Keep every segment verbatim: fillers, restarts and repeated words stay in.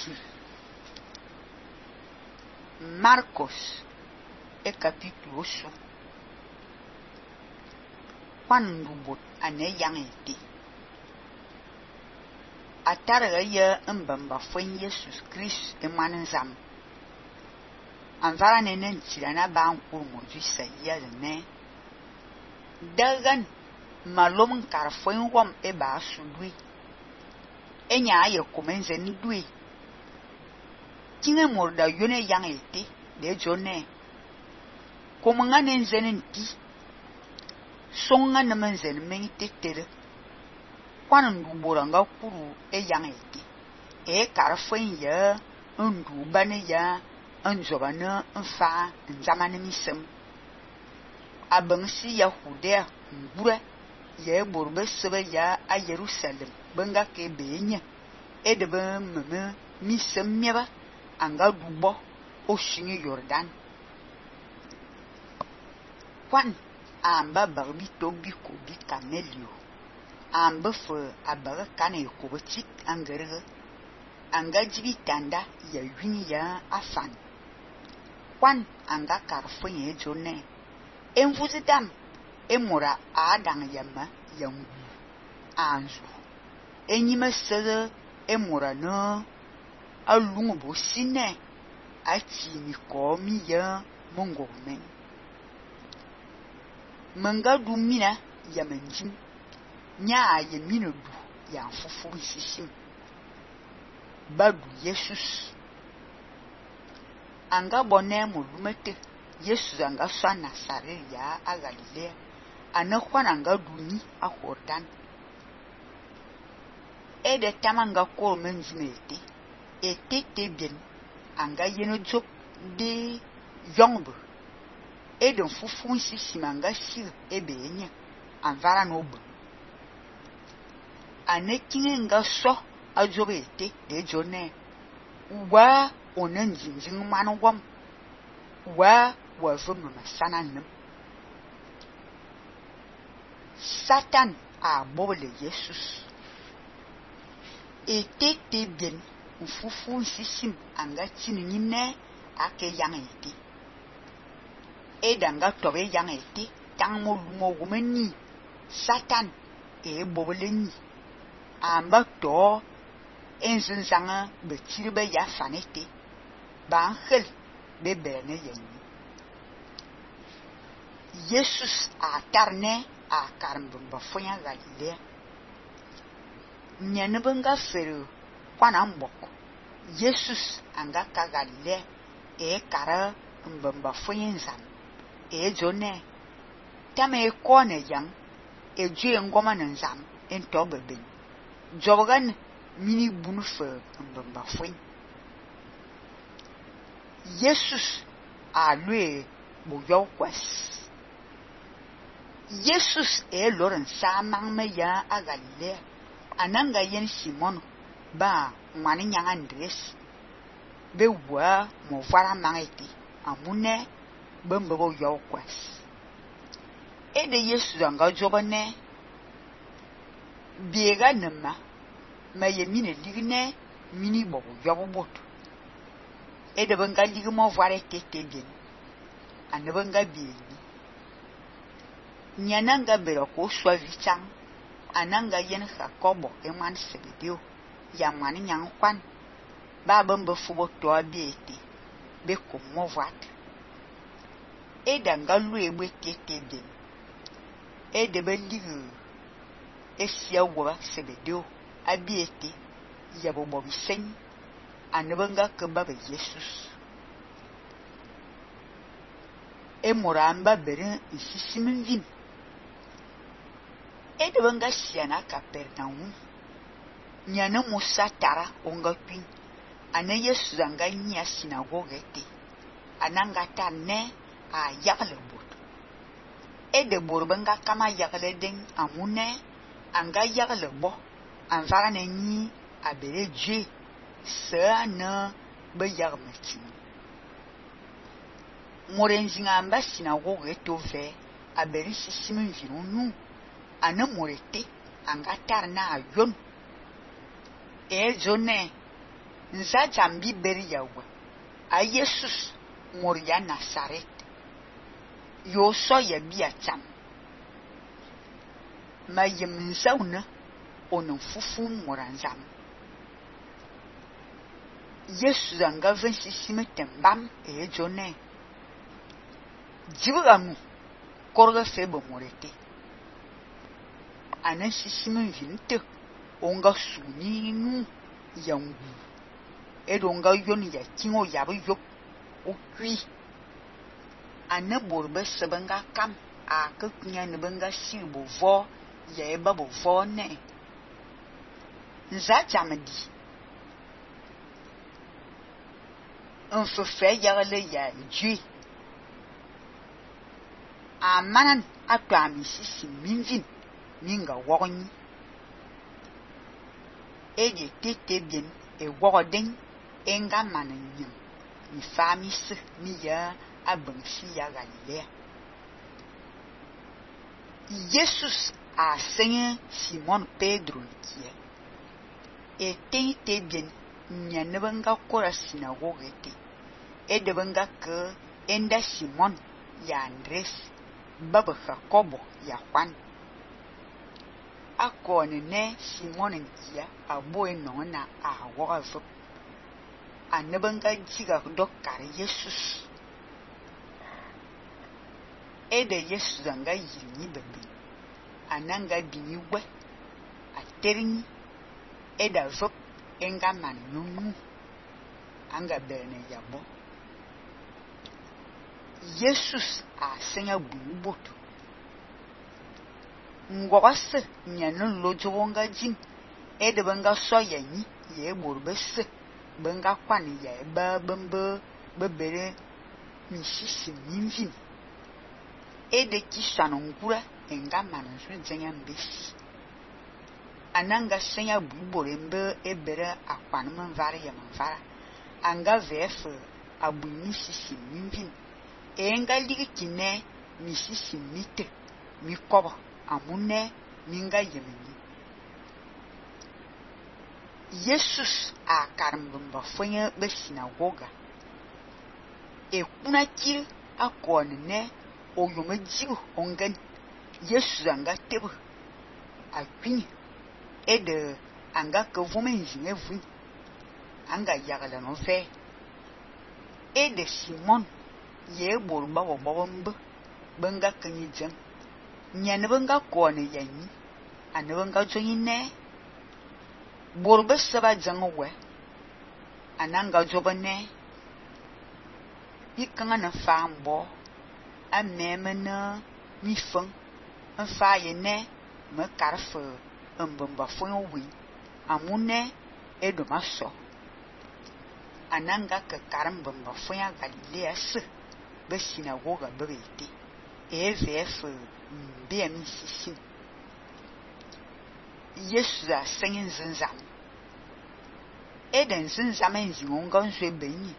Jésus. Marcos e capítulo osso. Quando bot ane yang ete. Atarga ya mbamba fwen Jesus Christ e manzam. Anvara nenen tirana ba ankur moju saia ne. Dagan malom kar fwen wom e ba sudui. Enya aye komenze ni dui. Kinge morda yone yang ete de jone. Komanga nenzenen ti. Songa na menzen mengi tetere. Kwana ndubora nga kuru e yang ete. E kar fwen ya ndu bane ya nzoba na nfa nzamane misem. Abangsi ya Judea mbura ya borbe sebe ya a Jerusalem benga ke benye e de ben meme misem meba anga dubo o shingi Jordan. Kwan amba barbi tobi ko bi Cornelio amba fe abaga kane ko betik angerege anga jibi tanda ya yuni ya afan. Kwan anga karfo ye jone envuzidam emura adang yama yangu anzu enyime sere emura no alungu bo sine achi mi komi ya mongo men manga du mina ya menjim nya ye mino du ya fufu sisim badu Jesus anga bonne mo lumete Jesus anga swa Nazare ya a Galilea ana kwana anga duni a Jordan e de tamanga ko menjimete ete te bien anga yeno jop de yongbo e de fufu sisi manga sir e benye anvara no bo ane kinge nga so a jobete de jone wa onen jinjing manu wam wa wa vumu masana nim Satan a bobole Jesus ete te bien ufufu sisim anga chini nyine ake yang ete e danga tobe yang ete tang mo lumo gumeni Satan e bobole ni amba to enzin zanga betiribe ya fanete ba angel be bene yenni Jesus a tarne a karmbumba fonya Galilea nyane benga fere kwana mboko Jesus anga ka Galilea e kara mbumba fonya nzam e jone tame e kone yang e jue ngoma nzam en tobe ben jogan mini bunu fe mbumba fonya Jesus a lui bo yo kwas Jesus e loren sa mangme ya a Galilea ananga yen Simon ba mani nyanga Andres be wa mo fara mangeti amune bembe bo yo kwas e de Jesus anga jobane biega nema ma ye mine ligne mini bo yo boto e de benga ligi mo vare tete bien ane benga bieni nyananga bero ko swa vichang ananga yen Jacobo e man Sebedeo ya mani nyang kwan ba bembe fubo to abiete be ko mo vat e danga lu egbe tete bien e de be ligi e sia wo Sebedeo abiete ya bobo bisen anebenga keba be Jesus e moramba bere isisimin vin e de benga siana Capernaum nyane Musa tara onga pin ane Yesu anga nya sinagogue te ananga tanne a yagle bot e de borbenga kama yagle den amune anga yagle bo anvara ne ni abere je sana be yarmati morenzinga amba sinagogue to ve abere sisimin vinunu ana morete anga tarna ayon e jone Nza jambi beri yawe. A Jesus moria Nazaret. Yo so ya bia cham. Ma yem nzauna onon fufu moranzam. Yesu zanga vensi simetembam e jone. Jibugamu korga febo morete. Anan sisimen vinte onga suni nu yangu. Edo onga yoni ya kingo yabu yok okwi. Ane borbe sebenga kam a kekunya nebenga silbo vo ya eba bo vo ne. Nza jamedi. Nfefe yagale ya Dieu. Amanan atwa mi sisi minvin minga wogni. Eje tete bien e wogodin enga mananyam. Mi famis mi ya abansi ya Galilea. Jesus a senye Simon Pedro kia. E tete bien nyanebanga kora sinagoge te. E debanga ke enda Simon ya Andres, baba Jacobo ya Juan. Akone ne Simon nkia abo enona a wogavup. Anebanga jiga dokar Jesus. Ede Jesus anga yini bebe. Ananga biniwe. Aterini. Eda vup enga man nunu. Anga berne yabo. Jesus a senya bunuboto. Ngwase nyanon lojo wonga jin. Ede benga so yanyi ye borbese. Benga kwani ya eba bembe bebere misisi minvin. Ede kisano ngura enga manansu zenya mbesi. Ananga senya bubore mbe ebere akwani manvara ya manvara. Anga vefe abu misisi minvin. Enga ligi kine misisi mite mikoba amune minga yemeni. Jesus a karmbamba fwenye be sinagoga. E kuna kiri akone ne oyome jibu ongen. Jesus anga tebu akwini. Ede anga kevome nzinge vuni. Anga yagala no fe. Ede Simon ye borba wo bobombe benga kanyi jem. Nyane benga kone yanyi. Ane benga jonyi ne. Borbe seba jango we. Ananga joba ne. Ikanga na fambo. A meme na mi feng. Een fa ye ne. Me karfe. Een bamba fonyo wi. Amune edoma so. Ananga ke karam bamba fonya Galilea se. Be sinagoga bebete. E vf mbea mi sisi. Yesu a senyen zinzam. Eden zinzam enzi onga nzwe benyi.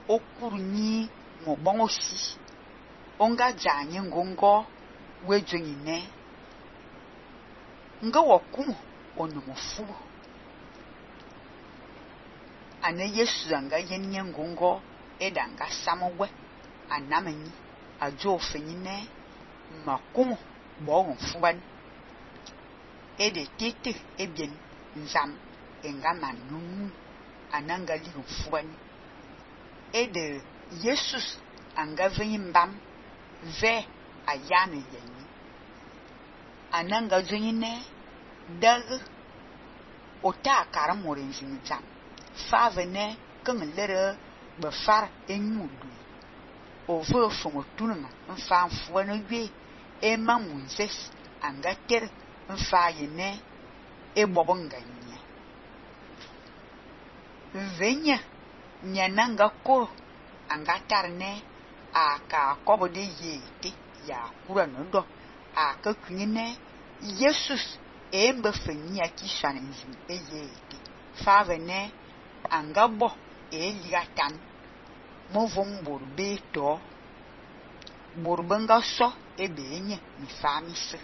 Okuru nyi ngobongo si. Onga janye ngongo wejonyi ne. Nga wakumu onomofubu. Ane Yesu anga yenye ngongo edanga samowe. Anamenyi ajo ofenyi ne. Makumu bogon fuban. Ede tete ebien nzam enga manunu ananga ligu fuban. Ede Jesus anga venyi mbam ve ayane yenyi. Ananga jonyi ne dag ota karam morenzi nzam. Fave ne keng lere befar enyudu. Over fongo tunuma nfa mfuwa no ywe ema munzes anga ter nfa yene e bobonga nya. Venya nyananga ko anga tarne aka kobo de yete ya kura nodo aka kunyine Jesus embe fenya kishana nzi e yete. Fave ne anga bo e ligatan. Movon borbe to borbenga so ebe enye mi famise.